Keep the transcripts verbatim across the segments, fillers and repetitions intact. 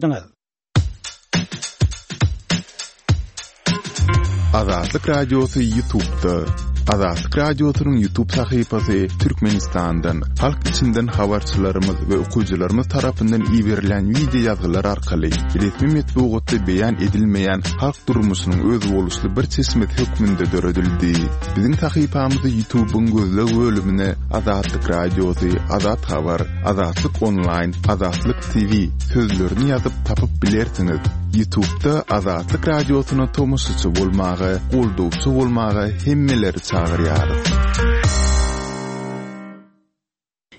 diňlediňiz. Azatlyk Radiosy YouTube'da. Azatlyk Radiosynyň YouTube sahypasy Türkmenistandan, halk içinden habarçylarymyz we okyjylarymyz tarapyndan iberilen wideo ýazgylar arkaly resmi metbugatda beýan edilmeýän halk durmuşynyň özboluşly bir çeşmesi hökmünde döredildi. Biziň sahypamyzy YouTube'yň gözleg bölümine Azatlyk Radiosy, Azat Habar, Azatlyk Online, Azatlyk T V sözlerini ýazyp tapyp bilersiňiz. YouTube'da Azatlyk Radiosyna tomaşaçy bolmaga, goldawçy bolmaga hemmeleri çagyrýarys.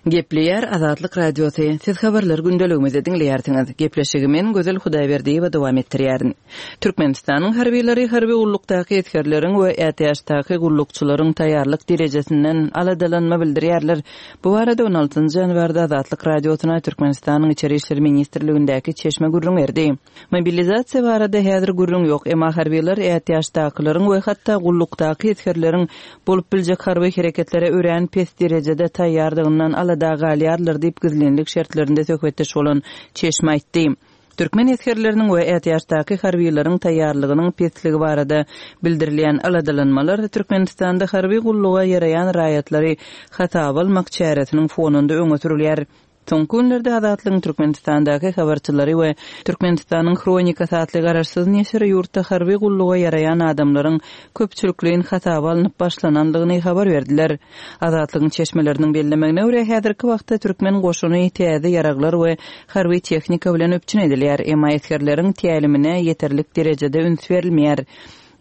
Gepleýär Azatlyk Radiosy. Siz habarlar gündeligimizi diňleýärsiňiz. Gepleşigi men Gözel Hudaýberdiýewa dowam etdirýärin. Türkmenistanyň harbylary harby gullukdaky esgerleriň we ätiýaçdaky gullukçylaryň taýýarlyk derejesinden aladalanma bildirýärler. Bu barada on altynjy ýanwarda Azatlyk Radiosyna Türkmenistanyň Içeri İşler Ministrligindäki çeşme gürrüň berdi. Mobilizasiýa barada häzir gürrüň ýok, emma harbylar ätiýaçdakylaryň we hatda gullukdaky esgerleriň bolup biljek harby hereketlere örän pes derejede taýýardygyndan alada galýarlar diýip gizlinlik şertlerinde söhbetdeş bolan çeşme aýtdy. Türkmen esgerleriniň we ätiýaçdaky harbylaryň taýýarlygynyň pesligi barada bildirilýän aladalanmalar Türkmenistanda harby gulluga ýaraýan raýatlary hasaba almak çäresiniň fonunda öňe sürülýär. Soňky günlerde Azatlygyň Türkmenistandaky habarçylary we Türkmenistanyň Hronikasy atly garaşsyz neşiri ýurtda harby gulluga ýaraýan adamlaryň köpçülikleýin hasaba alnyp başlanandygyny habar berdiler. Azatlygyň çeşmeleriniň bellemegine görä häzirki wagtda türkmen goşuny täze ýaraglar we harby tehnika bilen üpjün edilýär, emma esgerleriň tälimine ýeterlik derejede üns berilmeýär.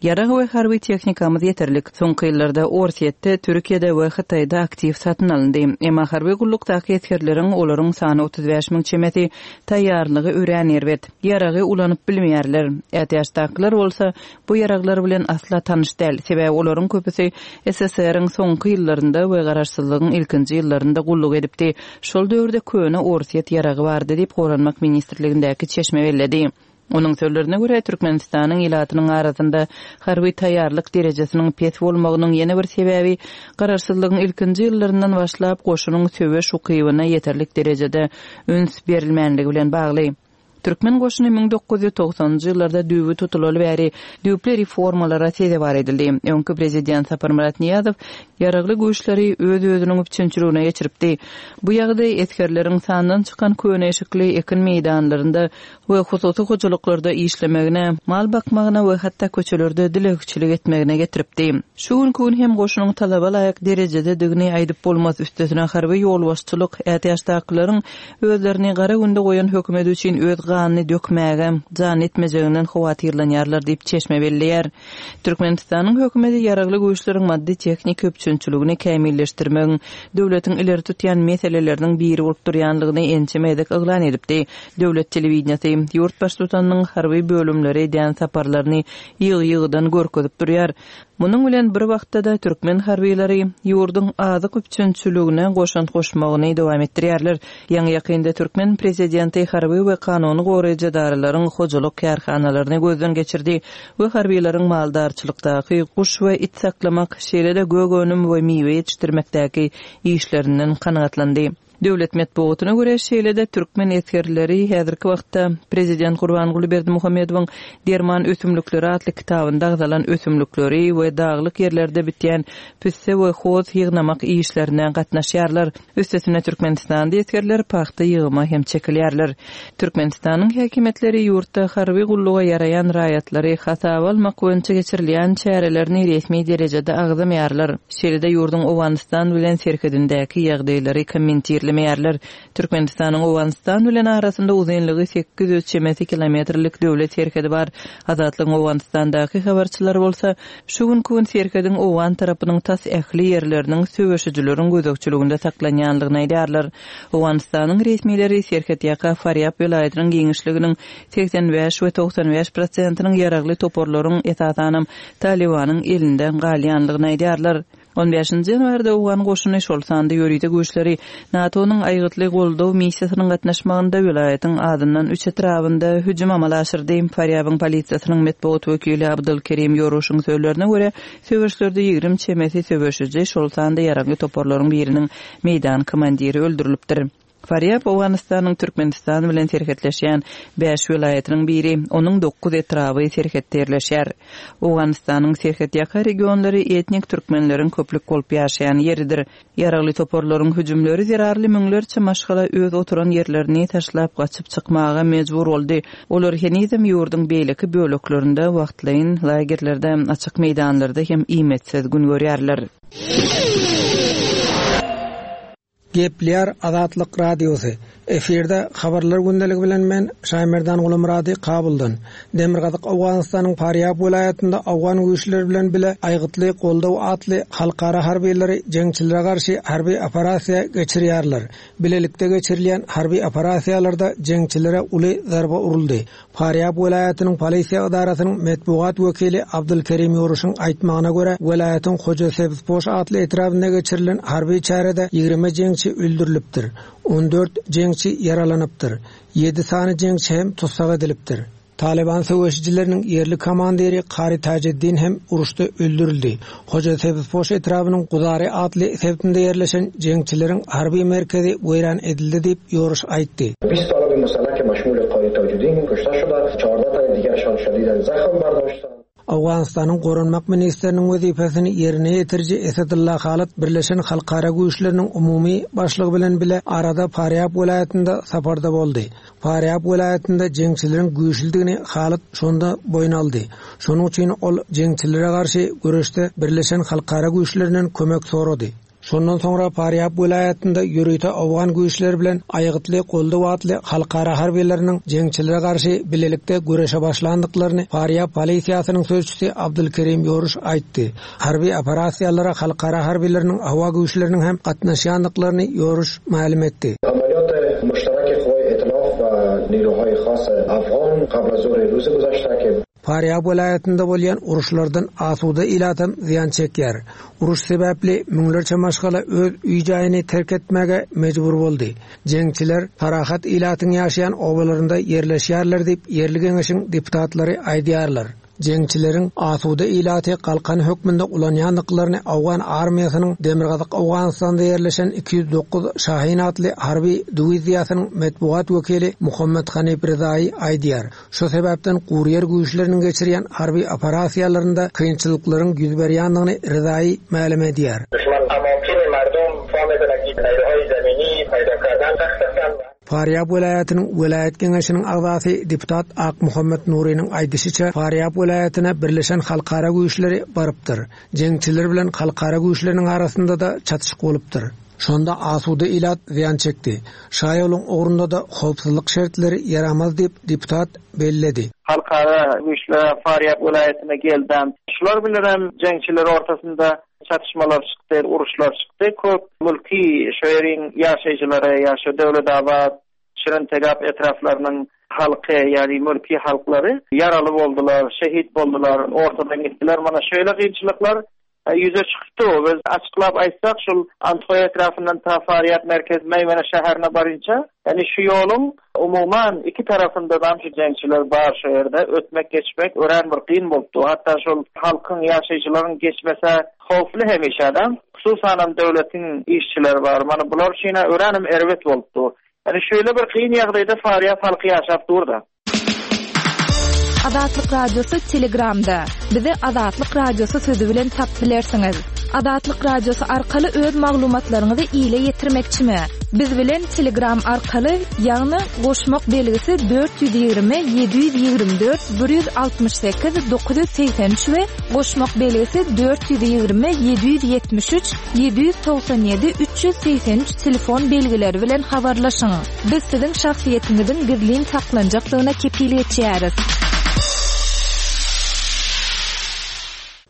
Ýarag we harby tehnikamyz ýeterlik. Soňky ýyllarda Orsýetde, Türkiýede we Hytaýda aktiw satyn alyndy. Emma harby gullukdaky esgerleriň olaryň sany otuz bäş müň çemesi taýýarlygy örän erbet. Ýaragy ulanyp bilmeýärler. Ätiýaçdakylar bolsa bu ýaraglar bilen asla tanyş däl. Sebäbi olaryň köpüsi S S R-iň soňky ýyllarynda we garaşsyzlygyň ilkinji ýyllarynda gulluk edipdi. Şol döwürde köne Orsýet ýaragy bardy diýip Goranmak Ministrligindäki çeşme belledi. Onuň sözlerine görä Türkmenistanyň ilatynyň arasynda harby taýýarlyk derejesiniň pes bolmagynyň ýene bir sebäbi garaşsyzlygyň ilkinji ýyllaryndan başlap goşunyň söweş ukybyna ýeterlik derejede üns berilmänligi bilen bagly. Türkmen goşuny müň dokuz ýüz togsanynjy ýyllarda düýbi tutulaly bäri düýpli reformalara sezewar edildi. Öňki prezident Saparmyrat Niýazow ýaragly güýçleri öz-özüniň üpjünçiligine geçiripdi. Bu ýagdaý esgerleriň sandan çykan köne eşikli ekin meýdanlarynda we hususy hojalyklarda işlemegine, mal bakmagyna we hatda köçelerde dilegçilik etmegine getiripdi. Şu günkü gün hem goşunyň talaba laýyk derejededigini aýdyp bolmaz. Üstesine harby ýolbaşçylyk ätiýaçdakylaryň özlerini gara günde goýan hökümet üçin öz ganyny dökmäge, jan etmejeginden howatyrlanýarlar diýip çeşme belleýär. Türkmenistanyň hökümeti ýaragly güýçleriň maddy tehniki üpjünçiligini kämilleşdirmegiň döwletiň ileri tutýan meseleleriniň biri bolup durýanlygyny ençeme gezek yglan edipdi. Döwlet telewideniýesi ýurt baştutanynyň harby bölümleri edýän saparlaryny ýygy-ýygydan görkezip durýar. Munuň bilen bir wagtda da türkmen harbylary ýurduň azyk üpjünçiligine goşant goşmagyny dowam etdirýärler. Ýaňy ýakynda türkmen prezidenti harby we kanuny goraýjy edaralaryň hojalyk kärhanalaryny gözden geçirdi we harbylaryň maldarçylykdaky guş we it saklamak, şeýle-de gök önüm we miwe ýetişdirmekdäki işlerinden kanagatlandy. Döwlet metbugatyna görä şeýle-de türkmen esgerleri häzirki wagtda prezident Gurbanguly Berdimuhamedowyň Derman ösümlikleri atly kitabynda agzalan ösümlikleri we daglyk ýerlerde bitýän pisse we hoz ýygnamak işlerine gatnaşýarlar. Üstesine Türkmenistanda esgerler pagta ýygyma hem çekilýärler. Türkmenistanyň häkimiýetleri ýurtda harby gulluga ýaraýan raýatlary hasaba almak boýunça geçirilýän çärelerini resmi derejede agzamaýarlar. Şeýle-de ýurduň Owganystan bilen serhedindäki ýagdaýlary kommentirlemeýärler. Türkmenistanyň Owganystan bilen arasynda uzynlygy sekiz ýüz çemesi kilometrlik döwlet serhedi bar. Azatlygyň Owganystandaky habarçylary bolsa şu günkü gün serhediň Owgan tarapynyň tas ähli ýerleriniň söweşijileriň gözegçiliginde saklanýanlygyny aýdýarlar. Owganystanyň resmileri serhet ýaka Farýab welaýatynyň giňişliginiň seksen bäş we togsan bäş prosentiniň ýaragly toparlaryň esasanam Talibanyň elinde galýanlygyny aýdýarlar. On bäşinji ýanwarda Owgan goşuny şol sanda ýörite güýçleri NATO-nyň aýgytly goldaw missiýasynyň gatnaşmagynda welaýatyň adyndan üç etrabynda hüjüm amala aşyrdy. Farýabyň polisiýasynyň metbugat wekili Abdulkerim Ýoruşyň sözlerine görä, söweşlerde ýigrimi çemesi söweşiji şol sanda ýaragly toparlaryň biriniň meýdan komandiri öldürilipdir. Farýab Owganystanyň Türkmenistan bilen serhetleşýän bäş welaýatynyň biri, onuň dokuz etraby serhetde ýerleşýär. Owganystanyň serhetýaka regionlary etnik türkmenleriň köplük bolup ýaşaýan ýeridir. Ýaragly toparlaryň hüjümleri zerarly müňlerçe maşgala öz oturan ýerlerini taşlap gaçyp çykmaga mejbur boldy. Olar henizem ýurduň beýleki böleklerinde wagtlaýyn lagerlerde, açyk meýdanlarda hem iýmetsiz gün görýärler. Gepleýär Azatlyk Radiosy. Efirde habarlar gündeligi bilen men Şaýmerdan Gulumyrady Kabuldan. Demirgazyk Owganystanyň Farýab welaýatynda Owgan güýçleri bilen bile Aýgytly goldaw atly halkara harbiylary jeňçilere garşy harby operasiýa geçirýärler. Bilelikde geçirilýän harby operasiýalarda jeňçilere uly zarba uruldy. Farýab welaýatynyň polisiýa edarasynyň metbugat wekili Abdulkerim Ýuruşyň aýtmagyna görä, welaýatyň Hoja Sebzpoş atly etrabynda geçirilen harby çärede ýigrimi jeňçi öldürilipdir. On dört jeňçi ýaralanypdyr. Ýedi sany jeňçi hem tussag edilipdir. Taliban söweşijileriniň ýerli komandiri Kari Tajeddin hem uruşda öldürildi. Hoja Sebzpoş etrabynyň Guzary atly sebitinde ýerleşen jeňçileriň harby merkezi weýran edildi diýip Ýuruş aýtdy. بیست طالب مسلح که مشمول قاری تاجدین کشته شده، چهارده تن دیگرشان شدیداً زخم برداشتند. Owganystanyň Goranmak ministriniň wezipesini ýerine ýetiriji Esedullah Halat Birleşen Halkara Güýçleriniň umumy başlygy bilen bile arada Farýab welaýatynda saparda boldy. Farýab welaýatynda jeňçileriň güýçlüdigini Halat şonda boýun aldy. Şonuň üçin ol jeňçilere garşy göreşde Birleşen Halkara Güýçlerinden kömek sorady. Şondan soňra Farýab welaýatynda ýörite Owgan güýçleri bilen Aýgytly goldaw atly halkara harbiýlarynyň jeňçilere garşy bilelikde göreşe başlandyklaryny Farýab polisiýasynyň sözçüsi Abdulkerim Ýoruş aýtdy. Harby operasiýalara halkara harbiýlarynyň howa güýçleriniň hem gatnaşýandyklaryny Ýoruş mälim etdi. Amaliyat müşterek قوای ائتلاف و نیروهای خاص افغان قبل از ظهر روز گذشته که Farýab welaýatynda bolýan uruşlardan asuda ilatam zyýan çekýär. Uruş sebäpli müňlerçe maşgala öz öý-jaýyny terk etmäge mejbur boldy. Jeňçiler parahat ilatyň ýaşaýan obalarynda ýerleşýärler diýip ýerli geňeşiň deputatlary aýdýarlar. Jeňçileriň asuda ilaty galkan hökmünde ulanýandyklaryny Owgan armiýasynyň Demirgazyk Owganystanda ýerleşen iki ýüz dokuz Şahin atly harby diwiziýasynyň metbugat wekili Muhammed Hanif Rezaýy aýdýar. Şu sebäpden guryýer güýçleriniň geçirýän harby operasiýalarynda kynçylyklaryň ýüz berýändigini Rezaýy mälim edýär. Düşman amakin mardum fahmedilen ki نیروهای زمینی پیدا کردن سخت هستند. Farýab welaýatynyň welaýat geňeşiniň agzasy deputat Ak Muhammed Nuriniň aýdyşyça Farýab welaýatyna Birleşen Halkara Güýçleri barypdyr. Jeňçiler bilen halkara güýçleriniň arasynda da çatyşyk bolupdyr. Şonda asuda ilat zyýan çekdi. Şaýoluň ugrunda da howpsuzlyk şertleri ýaramaz diýip deputat belledi. Halkara güýçler Farýab welaýatyna geldi. Şular bilen hem jeňçiler ortasynda çatışmalar çykdy, uruşlar çykdy. Köp mülki şäheriň ýaşaýjylary, ýaşa Döwletabat, Şirintegap etraflarynyň halky, ýagny mülki halklary ýaraly boldular, şehit boldular, ortadan gitdiler. Mana şeýle kynçylyklar ýüze çykdy. Biz açyklap aýtsak, şul Anthoý etrafyndan ta Farýab merkez Meýmene şäherine barynça, ýagny şu ýoluň umuman iki tarapynda da şu jeňçiler bar şu ýerde ötmek geçmek örän bir kyn bolupdy. Hatda şol halkyň ýaşaýjylaryň geçmese howply hemişe adam, hususan hem döwletiň işçileri bar. Mana bular üçin öränim erbet bolupdy. Ýagny şeýle bir kyn ýagdaýda Farýab halky ýaşap durdy. Azatlyk Radiosy Telegramda. Bizi Azatlyk Radiosy sözü bilen tap bilersiňiz. Azatlyk Radiosy arkaly öz maglumatlaryňyzy ile ýetirmekçimi? Biz bilen Telegram arkaly, ýagny goşmak belgisi dört ýüz ýigrimi, ýedi ýüz ýigrimi dört, bir ýüz altmyş sekiz, dokuz ýüz segsen üç we goşmak belgisi dört ýüz ýigrimi, ýedi ýüz ýetmiş üç, ýedi ýüz togsan ýedi, üç ýüz segsen üç telefon belgileri bilen habarlaşyň. Biz siziň şahsyýetiňiziň gizlin saklanjakdygyna kepil geçýäris.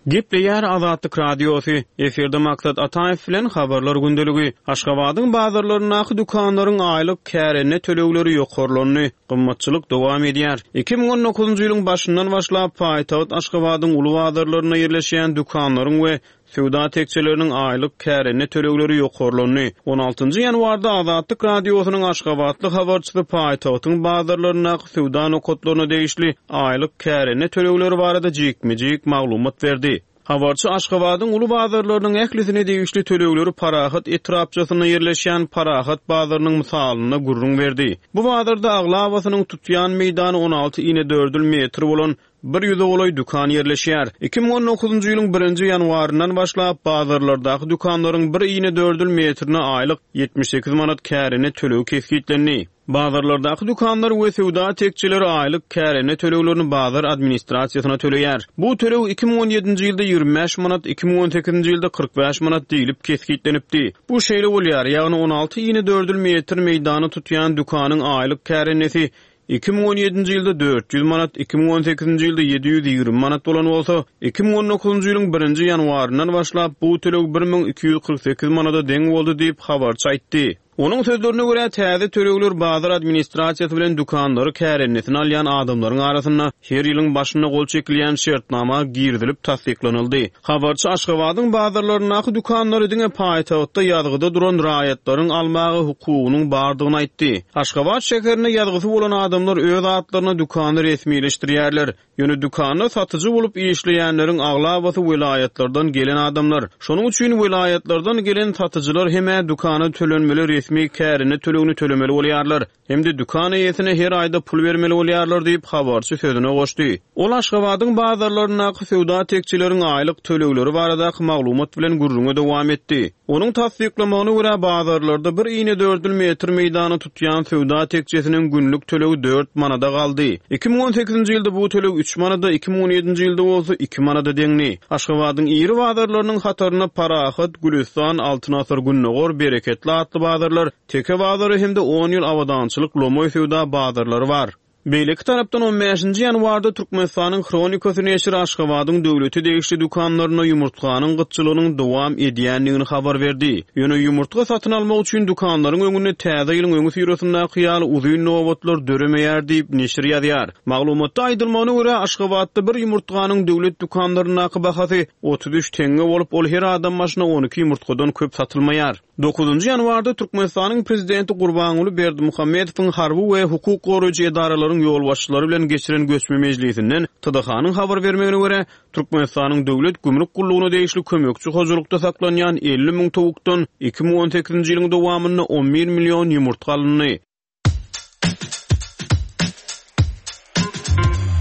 Gepleýär Azatlyk Radiosy. Efirde Maksat Ataýew bilen habarlar gündeligi. Aşgabadyň bazarlaryndaky dükanlaryň aýlyk kärende tölegleri ýokarlandy. Gymmatçylyk dowam edýär. Iki müň on dokuzunjy ýylyň başyndan başlap paýtagt Aşgabadyň uly bazarlarynda ýerleşýän dükanlaryň we söwda tekçeleriniň aýlyk kärende tölegleri ýokarlandy. On altynjy ýanwarda Azatlyk Radiosynyň Aşgabatly habarçysy paýtagtyň bazarlaryndaky söwda nokatlaryna degişli aýlyk kärende tölegleri barada jikme-jik maglumat berdi. Habarçy Aşgabadyň uly bazarlarynyň ählisine degişli tölegleri Parahat etrapçasynda ýerleşýän Parahat bazarynyň mysalynda gürrüň berdi. Bu bazarda aglabasynyň tutýan meýdany on alty inedördül metr bolan bir ýüze golaý dükan ýerleşýär. Iki müň on dokuzynjy ýylyň birinji ýanwaryndan başlap bazarlardaky dükanlaryň bir inedördül metrine aýlyk ýetmiş sekiz manat kärende tölegi kesgitlendi. Bazarlardaky dükanlar we söwda tekçeleri aýlyk kärende töleglerini bazar administrasiýasyna töleýär. Bu töleg iki müň on ýedinji ýylda ýigrimi bäş manat, iki müň on sekizinji ýylda kyrk bäş manat diýlip kesgitlenipdi. Bu şeýle bolýar, ýagny on alty inedördül metr meýdany tutýan dükanyň aýlyk kärendesi iki müň on ýedinji ýylda dört ýüz manat, iki müň on sekizinji ýylda ýedi ýüz ýigrimi manat bolan bolsa, iki müň on dokuzynjy ýylyň birinji ýanwaryndan başlap bu töleg bir müň iki ýüz kyrk sekiz manada deň boldy diýip habarçy aýtdy. Onuň sözlerine görä täze tölegler bazar administrasiýasy bilen dükanlary kärennesini alýan adamlaryň arasynda her ýylyň başynda gol çekilýän şertnama girizilip tassyklanyldy. Habarçy Aşgabadyň bazarlaryndaky dükanlary diňe paýtagtda ýazgyda duran raýatlaryň almagy hukugynyň bardygyny aýtdy. Aşgabat şäherinde ýazgysy bolan adamlar öz atlaryna dükany resmileşdirýärler. Ýöne dükanda satyjy bolup işleýänleriň aglabasy welaýatlardan gelen adamlar. Şonuň üçin welaýatlardan gelen satyjylar hem dükana tölenmeli resmi kärende tölegini tölemeli bolýarlar. Hem-de dükan eýesine her aýda pul bermeli bolýarlar diýip habarçy sözüne goşdy. Ol Aşgabadyň bazarlaryndaky söwda tekçeleriň aýlyk tölegleri baradaky maglumat bilen gürrüňe dowam etdi. Onuň tassyklamagyna görä bazarlarda bir inedördül metr meýdany tutýan söwda tekçesiniň günlük tölegi dört manada galdy. Iki müň on sekizinji ýylda bu töleg üç manada, iki müň on ýedinji ýylda bolsa iki manada deňdi. Aşgabadyň iri bazarlarynyň hataryna Parahat, Gülistan, Altyn Asyr, Gündogar, Bereketli atly bazarlar, Teke bazary hem-de on ýyl abadançylyk lomaý söwda bazarlary bar. Beýleki tarapdan on bäşinji ýanwarda Türkmenistanyň Hronikasy neşiri Aşgabadyň döwlete degişli dükanlaryna ýumurtganyň gytçylygynyň dowam edýändigini habar berdi. Ýöne ýumurtga satyn almak üçin dükanlaryň öňünde täze ýylyň öňi syrasyndaky ýaly uzyn nobatlar döremeýär diýip neşir ýazýar. Maglumatda aýdylmagyna görä Aşgabatda bir ýumurtganyň döwlet dükanlaryndaky bahasy otuz üç tenge bolup, ol her adam başyna on iki ýumurtgadan köp satylmaýar. Dokuzynjy ýanwarda Türkmenistanyň prezidenti Gurbanguly Berdimuhamedowyň harby we hukuk goraýjy edaralaryň ýolbaşçylary bilen geçiren göçme mejlisinden T D H-nyň habar bermegine görä Türkmenistanyň döwlet gümrük gullugyna degişli kömekçi hojalykda saklanýan elli müň towukdan iki müň on sekizinji ýylyň dowamynda on bir million ýumurtga alyndy.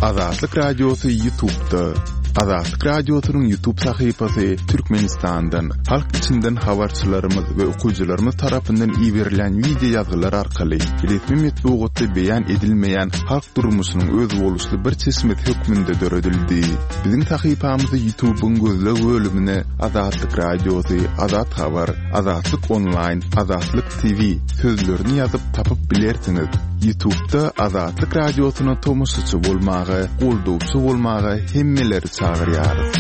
Azatlyk Radiosy YouTube'da. Azatlyk Radiosynyň YouTube sahypasy Türkmenistandan, halk içinden habarçylarymyz we okyjylarymyz tarapyndan iberilen video ýazgylar arkaly resmi metbugatda beýan edilmeýän halk durmuşynyň özboluşly bir çeşmesi hökmünde döredildi. Biziň sahypamyzy YouTube'yň gözleg bölümine Azatlyk Radiosy, Azat Habar, Azatlyk Online, Azatlyk T V sözlerini ýazyp tapyp bilersiňiz. YouTube'da Azatlyk Radiosyna tomaşaçy bolmaga, goldawçy bolmaga hemmeleri çagyrýarys.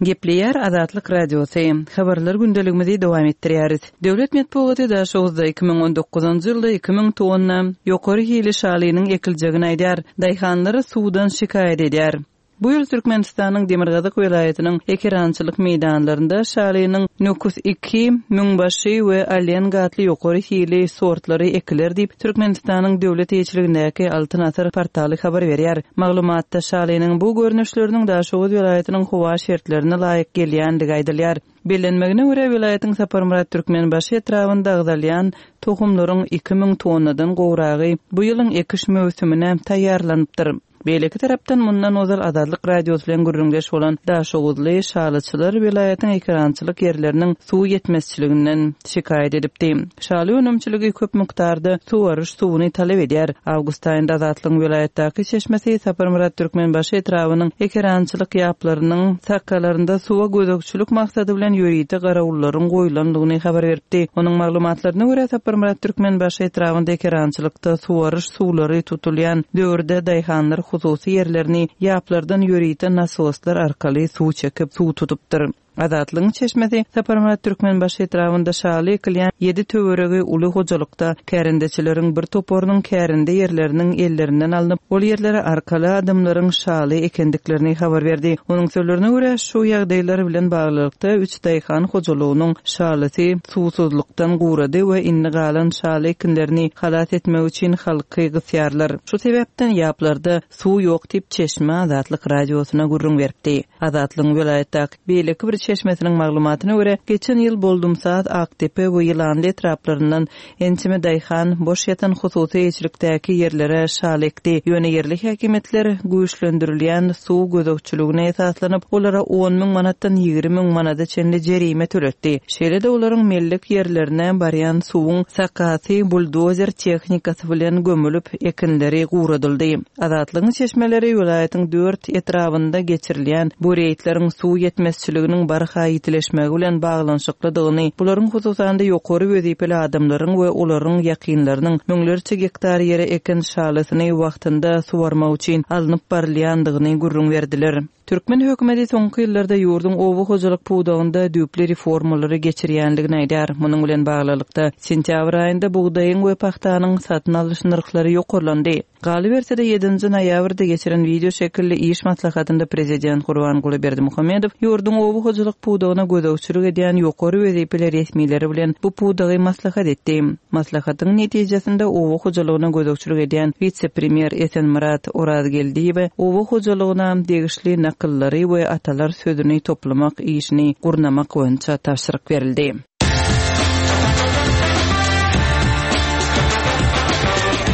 Gepleýär Azatlyk Radiosy. Habarlar gündeligimizi dowam etdirýäris. Döwlet metbugaty Daşoguzda iki müň on dokuzynjy ýylda iki müň tonna ýokary hili şalynyň ekiljegini aýdar. Daýhanlar suwdan şikaýat edýär. Bu ýyl Türkmenistanyň Demirgazyk welaýatynyň ekerançylyk meýdanlarynda şalynyň Nukus iki, Müňbaşy we Allenga atly ýokary hili sortlary ekiler diýip Türkmenistanyň döwlet eýeçiligindäki Altyn Asyr portaly habar berýär. Maglumatda şalynyň bu görnüşleriniň Daşoguz welaýatynyň howa şertlerine laýyk gelýändigi aýdylýar. Bellenmegine görä welaýatyň Saparmyrat Türkmenbaşy etrabynda agzalýan tohumlaryň iki müň tonnadan gowragy bu ýylyň ekiş möwsümine taýýarlanypdyr. Beýleki tarapdan mundan ozal Azatlyk Radiosy bilen gürrüňdeş bolan Daşoguzly şalyçylar welaýatyň ekerançylyk ýerleriniň suw ýetmezçiliginden şikaýat edipdi. Şaly önümçiligi köp mukdarda suwaryş suwuny talap edýär. Awgust aýynda Azatlygyň welaýatdaky çeşmesi Saparmyrat Türkmenbaşy etrabynyň ekerançylyk ýaplarynyň sakalarynda suwa gözegçilik maksady bilen ýörite garawullaryň goýlandygyny habar beripdi. Onuň maglumatlaryna görä Saparmyrat Türkmenbaşy etrabynda ekerançylykda suwaryş suwlary tutulýan döwürde daýhanlar hususy ýerlerini ýaplardan ýörite nasoslar arkaly suw çekip suw tutupdyr. Azatlygyň çeşmesi Saparmyrat Türkmenbaşy etrabynda şaly ekilýän ýedi töweregi uly hojalykda kärendeçileriň bir toparynyň kärende ýerleriniň ellerinden alnyp, ol ýerlere arkaly adamlaryň şaly ekendiklerini habar berdi. Onuň sözlerine görä, şu ýagdaýlar bilen baglylykda üç daýhan hojalygynyň şalysy suwsuzlykdan gurady we indi galan şaly ekinlerini halas etmek üçin halky gysýarlar. Şu sebäpden ýaplarda suw ýok diýip, çeşme Azatlyk Radiosyna gürrüň beripdi. Azatlygyň welaýatdaky beýleki bir çeşmesiniň maglumatyna görä, geçen ýyl Boldumsaz, Akdepe we Ýylanly etraplaryndan ençeme daýhan boş ýatan hususy eýeçilikdäki ýerlere şaly ekdi. Ýöne ýerli häkimiýetler güýçlendirilýän suw gözegçiligine esaslanyp, olara on müň manatdan ýigrimi müň manada çenli jerime töletdi. Şeýle-de olaryň mellek ýerlerine barýan suwuň sakasy buldozer tehnikasy bilen gömülip, ekinleri guradyldy. Azatlygyň çeşmeleri welaýatyň dört etrabynda geçirilýän bu reýdleriň suw ýetmezçiliginiň barha ýitileşmegi bilen baglanyşyklydygyny, bularyň hususan-da ýokary wezipeli adamlaryň we olaryň ýakynlarynyň müňlerçe gektar ýere eken şalysyny wagtynda suwarmak üçin alnyp barylýandygyny gürrüň berdiler. Türkmen hökümeti soňky ýyllarda ýurduň oba hojalyk pudagynda düýpli reformalary geçirýänligini aýdar. Munuň bilen baglylykda sentýabr aýynda bugdaýyň we pahtanyň satyn alyş nyrhlary ýokarlandy. Galyberse-de ýedinji noýabrda geçiren wideo şekilli iş maslahatynda prezident Gurbanguly Berdimuhamedow ýurduň oba hojalyk pudagyna gözegçilik edýän ýokary wezipeli resmileri bilen bu pudagy maslahat etdi. Maslahatyň netijesinde oba hojalygyna gözegçilik edýän wise-premýer Esenmyrat Orazgeldiýewe oba hojalygyna degişli nakyllary we atalar sözüni toplamak işini gurnamak boýunça tabşyryk berildi.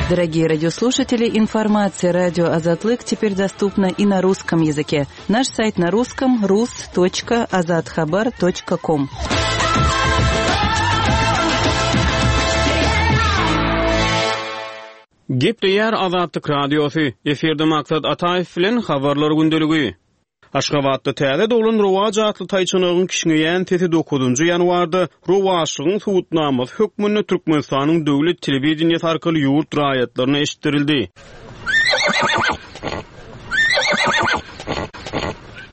Дорогие радиослушатели, информация радио Азатлык теперь доступна и на русском языке. Наш сайт на русском рус точка азатхабар точка ком. Gepleýär Azatlyk Radiosy. Efirde Maksat Ataýew bilen habarlar gündeligi. Aşgabatda täze doglan Rowaç atly taýçanagyň kişňeýän sesi dokuzynjy ýanwarda Rowaçlygyň subutnamasy hökmünde Türkmenistanyň döwlet telewideniýesi arkaly ýurt raýatlaryna eşitdirildi.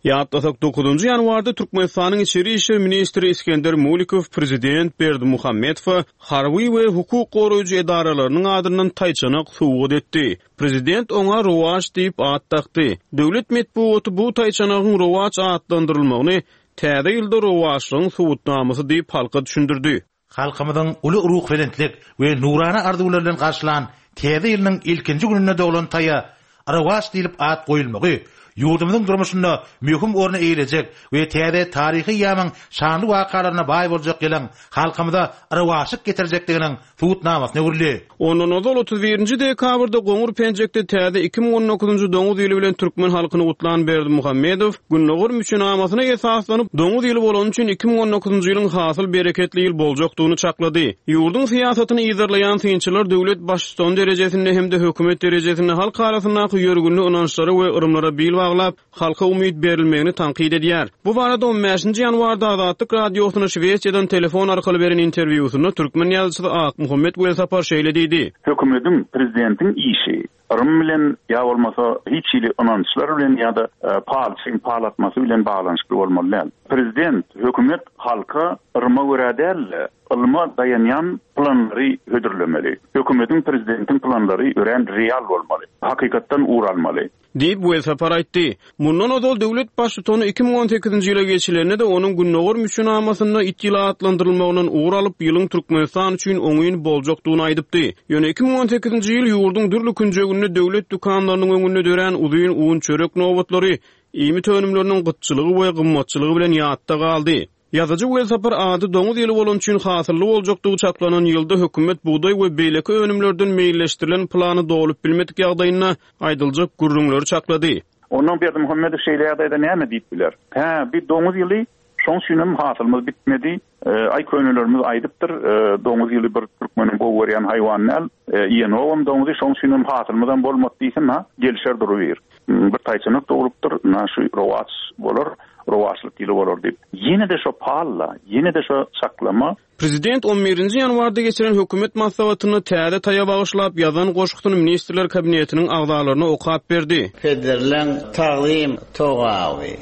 Ýatlasak, dokuzynjy ýanwarda Türkmenistanyň içeri işler ministri Iskender Mulikow prezident Berdimuhamedowa harby we hukuk goraýjy edaralarynyň adyndan taýçanak sowgat etdi. Prezident oňa Rowaç diýip at dakdy. Döwlet metbugaty bu taýçanagyň Rowaç atlandyrylmagyny täze ýylda Rowaçlygyň subutnamasy diýip halka düşündirdi. Halkymyzyň uly ruhubelentlik we nurana arzuwlar bilen garşylan täze ýylynyň ilkinji gününde doglan taýa Rowaç diýlip at goýulmagy ýurdumyzyň durmuşynda möhüm orny eýelejek we täze taryhy ýamyň şanly wakalaryna baý boljak ýylyň halkymyza rowaçlyk getirjekdiginiň subutnamasyna öwrüldi. Ondan ozal otuz birinji dekabrda Goňur Penjekde täze iki müň on dokuzynjy doňuz ýyly bilen türkmen halkyny gutlan Berdimuhamedow Gündogar müçenamasyna esaslanyp doňuz ýyly bolany üçin iki müň on dokuzynjy ýylyň hasyl bereketli ýyl boljakdygyny çaklady. Ýurduň syýasatyny yzarlaýan synçylar döwlet baştutany derejesinde hem-de hökümet derejesinde halk arasyndaky ýörgünli ynançlara we yrymlara bil baglap halka umyt berilmegini tankyt edýär. Bu barada on bäşinji ýanwarda Azatlyk Radiosyna Şwesiýadan telefon arkaly beren interwýusynda türkmen ýazyjysy Akmuhammet Welsapar şeýle diýdi. Hökümetiň, prezidentiň işi yrym bilen ýa bolmasa hiç hili ynançlar bilen ýa-da, e, palçyň palatmasy bilen baglanyşykly bolmaly däl. Prezident, hökümet halka yrma görä däl-de, ylma daýanýan planlary hödürlemeli. Hökümetiň, prezidentiň planlary örän real bolmaly. Hakykatdan ugur almaly. Diýip Welsapar aýtdy. Mundan ozal döwlet baştutany iki müň on sekizinji ýyla geçilende-de onuň Gündogar müçenamasynda it ýyly atlandyrylmagyndan ugur alyp, ýylyň Türkmenistan üçin oňyn boljakdygyny aýdypdy. Ýöne iki müň on sekizinji ýyl ýurduň dürli künjeginde döwlet dükanlarynyň öňünde dörän uzyn un çörek nobatlary, iýmit önümleriniň gytçylygy we gymmatçylygy bilen ýatda galdy. Ýazyjy Welsapar ady doňuz ýyly bolan üçin hasylly boljakdygy çaklanan ýylda hökümet bugdaý we beýleki önümlerden meýilleşdirilen plany dolup bilmedik ýagdaýynda aýdyljak gürrüňleri çaklady. Ondan Berdimuhamedow şeýle ýagdaýda näme diýip biler? Hä, bir doňuz ýyly şoň üçin hem hasylymyz bitmedi. E, aý könelerimiz aýdypdyr, e, doňuz ýyly bir türkmeniň gowy görýän haýwany däl. E, iýenogam doňuzy, şoň üçin hem hasylymyz hem bolmady diýsin, ha, gelişer durubir. Hmm, bir taýçanak dogrupdyr, na şu rowaç bolar, rowaçlyk ýyly bolar diýip. Ýene-de şo palla, ýene-de şo çaklama. Prezident on birinji ýanwarda geçiren hökümet maslahatyny täze taýa bagyşlap ýazan goşgusyny Ministrler Kabinetiniň agzalaryna okap berdi. Pederleň tagzym togaby,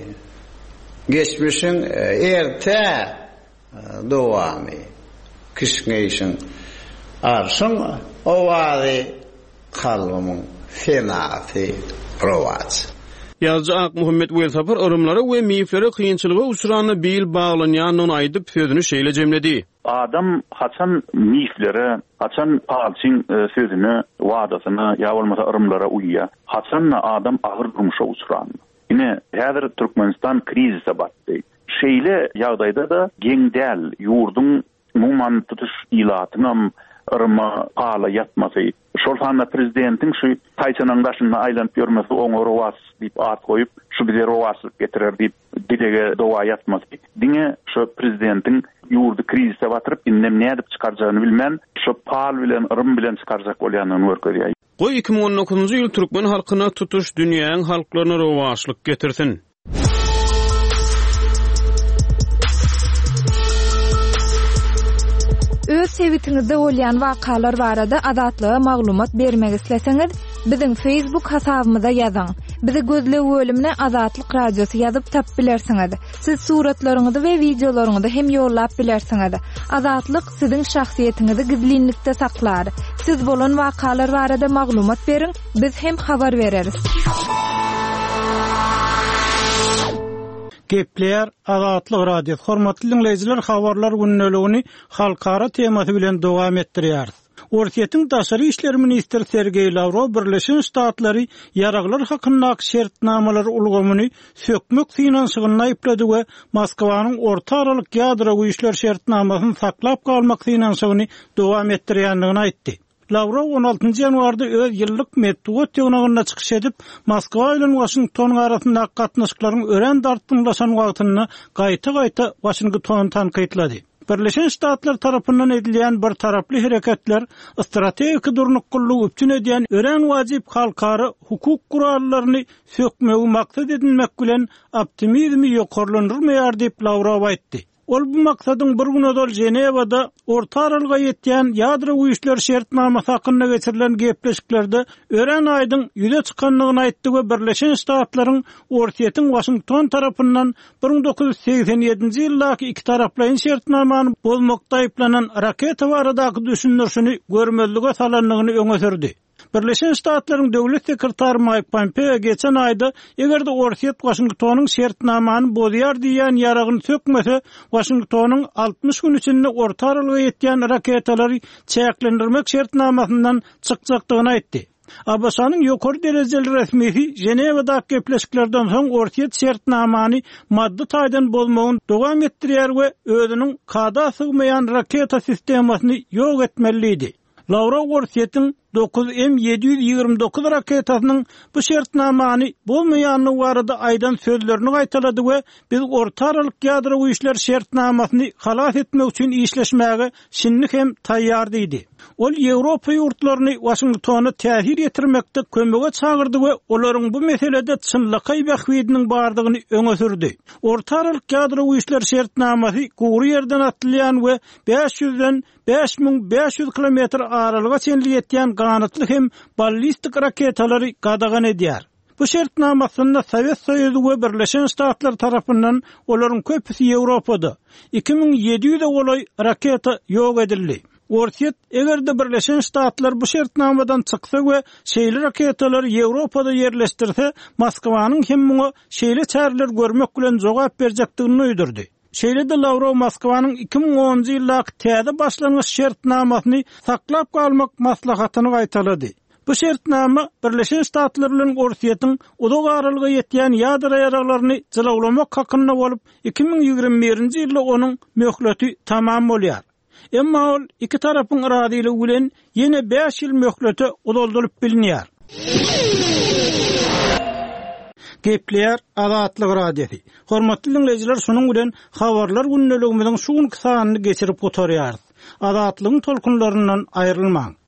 Geçmişiň erte dowamy, Kişňeýşiň arşyň owazy, Kalbymyň senasy rowaç. Ýazyjy Akmuhammet Welsapar yrymlara we miflere kynçylyga uçranda bil baglanýandygyny aýdyp, sözüni şeýle jemledi. Adam haçan miflere, haçan palçyň sözüne, wadasyna ýa bolmasa yrymlara uýýar? Haçan-da adam agyr durmuşa uçranda. Ine, häzir Türkmenistan krizise batdy. Şeýle ýagdaýda-da geň däl, ýurduň umuman tutuş ilatyňam yryma, pala ýatmasy, şol sanda prezidentiň şu taýçanaň daşynda aýlanyp ýörmesi, oňa rowaç diýip at goýup, şu bize rowaçlyk getirer diýip dilege doga ýatmasy, diňe şu prezidentiň ýurdy krizise batyryp, indem nädip çykarjagyny bilmän, şu pal bilen, yrym bilen çykarjak bolýandygyny görkezýär. Goý, iki müň on dokuzynjy ýyl türkmen halkyna, tutuş dünýäň halklaryna rowaçlyk getirsin! Öz sebitiňizde bolýan wakalar barada Azatlyga maglumat bermek isleseňiz, biziň Facebook hasabymyza ýazyň. Bizi gözleg bölümine Azatlyk Radiosy ýazyp tapyp bilersiňiz. Siz suratlaryňyzy we wideolaryňyzy hem ýollap bilersiňiz. Azatlyk siziň şahsyýetiňizi gizlinlikde saklar. Siz bolan wakalar barada maglumat beriň, biz hem habar bereris. Gepleýär Azatlyk Radiosy. Hormatly dinleýjiler, habarlar gündeligini halkara temasy bilen dowam etdirýäris. Orsýetiň daşary işler ministri Sergeý Lawrow Birleşen Ştatlary ýaraglar hakyndaky şertnamalar ulgamyny sökmek synanyşygyny aýyplady we Moskwanyň orta aralyk ýadro güýçler şertnamasyny saklap galmak synanyşygyny dowam etdirýändigini aýtdy. Lawrow on altynjy ýanwarda öz ýyllyk metbugat ýygnagynda çykyş edip, Moskwa bilen Waşington arasyndaky gatnaşyklaryň örän dartgynlaşan wagtynda gaýta-gaýta Waşingtony tankytlady. Birleşen Ştatlar tarapyndan edilýän bir taraply hereketler strategik durnuklylygy üpjün edýän örän wajyp halkara hukuk gurallaryny sökmegi maksat edinmek bilen optimizmi ýokarlandyrmaýar diýip Lawrow aýtdy. Ol bu maksadyň bir gün ozal Ženewada orta aralyga ýetýän ýadro güýçler şertnamasy hakynda geçirilen gepleşiklerde örän aýdyň ýüze çykandygyny aýtdy we Birleşen Ştatlaryň Orsýetiň Waşington tarapyndan bir müň dokuz ýüz segsen ýedinji ýyldaky iki taraplaýyn şertnamany bozmakda aýyplanan raketa baradaky düşündirişini görmezlige salandygyny öňe sürdi. Birleşen Ştatlaryň döwlet sekretary Mike Pompeo geçen aýda eger-de Orsýet Waşingtonyň şertnamany bozýar diýen ýaragyny sökmese, Waşingtonyň altmyş gün içinde orta aralyga ýetýän raketalary çäklendirmek şertnamasyndan çykjakdygyny aýtdy. A B Ş-nyň ýokary derejeli resmisi Ženewadaky gepleşiklerden soň Orsýet şertnamany maddy taýdan bozmagyny dowam etdirýär we özüniň kada sygmaýan raketa sistemasyny ýok etmeliydi. Lawrow Orsýetiň dokuz M ýedi ýüz ýigrimi dokuz raketasynyň bu şertnamany bozmaýandygy barada aýdan sözlerini gaýtalady we biz orta aralyk ýadro güýçler şertnamasyny halas etmek üçin işleşmäge şindi hem taýýar diýdi. Ol Ýewropa ýurtlaryny Waşingtona täsir ýetirmekde kömege çagyrdy we olaryň bu meselede çynlakaý bähbidiniň bardygyny öňe sürdi. Orta aralyk ýadro güýçler şertnamasy gury ýerden atylýan we bäş ýüzden bäş müň bäş ýüz kilometr aralyga çenli ýetýän ganatly hem ballistik raketalary gadagan edýär. Bu şertnamasynda Sowet Soýuzy we Birleşen Ştatlar tarapyndan olaryň köpüsi Ýewropada iki müň ýedi ýüze golaý raketa ýok edildi. Orsýet eger-de Birleşen Ştatlar bu şertnamadan çyksa we şeýle raketalary Ýewropada ýerleşdirse, Moskwanyň hem muňa şeýle çäreler görmek bilen jogap berjekdigini duýdurdy. Şeýle-de Lawrow Moskwanyň iki müň onunjy ýyldaky täze başlangyç şertnamasyny saklap galmak maslahatyny gaýtalady. Bu şertnama Birleşen Ştatlar bilen Orsýetiň uzak aralyga ýetýän ýadro ýaraglaryny jylawlamak hakynda bolup, iki müň ýigrimi birinji ýylda onuň möhleti tamam bolýar. Emma ol iki tarapyň razylygy bilen ýene bäş ýyl möhlete uzaldylyp bilinýär. Gepleýär Azatlyk Radiosy. Hormatly dinleýjiler, şunuň bilen habarlar gündeligimiziň şu günki sanyny geçirip gutarýarys. Azatlygyň tolkunlaryndan aýrylmaň.